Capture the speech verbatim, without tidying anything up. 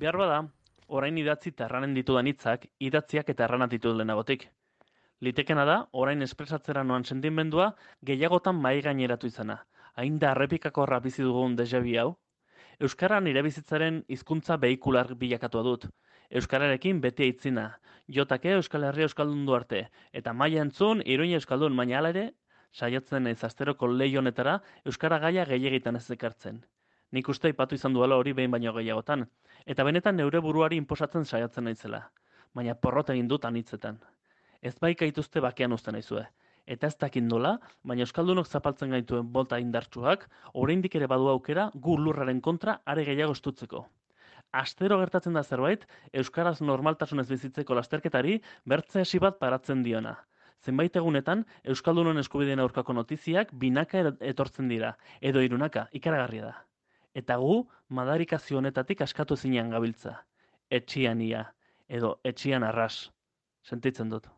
Behar bada, orain idatzi eta erranen ditudan hitzak, idatziak eta erranak ditut lehenagotik. Litekena da, orain espresatzera noan sentimendua gehiagotan mai gaineratu izana. Hain da errepikakorra bizi dugun deja vu hau. Euskara nire bizitzaren hizkuntza behikular bilakatua dut. Euskararekin beti aitzina. Jotake Euskal Herria Euskaldundu arte. Eta maila entzun, iruña Euskaldun, baina hala ere, saiatzen naiz asteroko leiho honetara Euskara gaia gehiegitan ez ekartzen. Nik uste aipatu izan duela hori behin baino gehiagotan. Eta benetan neure buruari inposatzen saiatzen naizela. Baina porrot egin dut anitzetan. Ez baika ituzte bakean uzten naizue. Eta ez dakit nola, baina Euskaldunok zapaltzen gaituen bolta indartsuak, oraindik ere badu aukera gu lurraren kontra are gehiago estutzeko. Astero gertatzen da zerbait, Euskaraz normaltasunez bizitzeko lasterketari bertze hesi bat paratzen diona. Zenbait egunetan, Euskaldunon eskubideen aurkako notiziak binaka er- etortzen dira, edo hirunaka, ikaragarria da. Eta gu, madarikazio honetatik askatu ezinean gabiltza. Etxian ia, edo etxian arras. Sentitzen dut.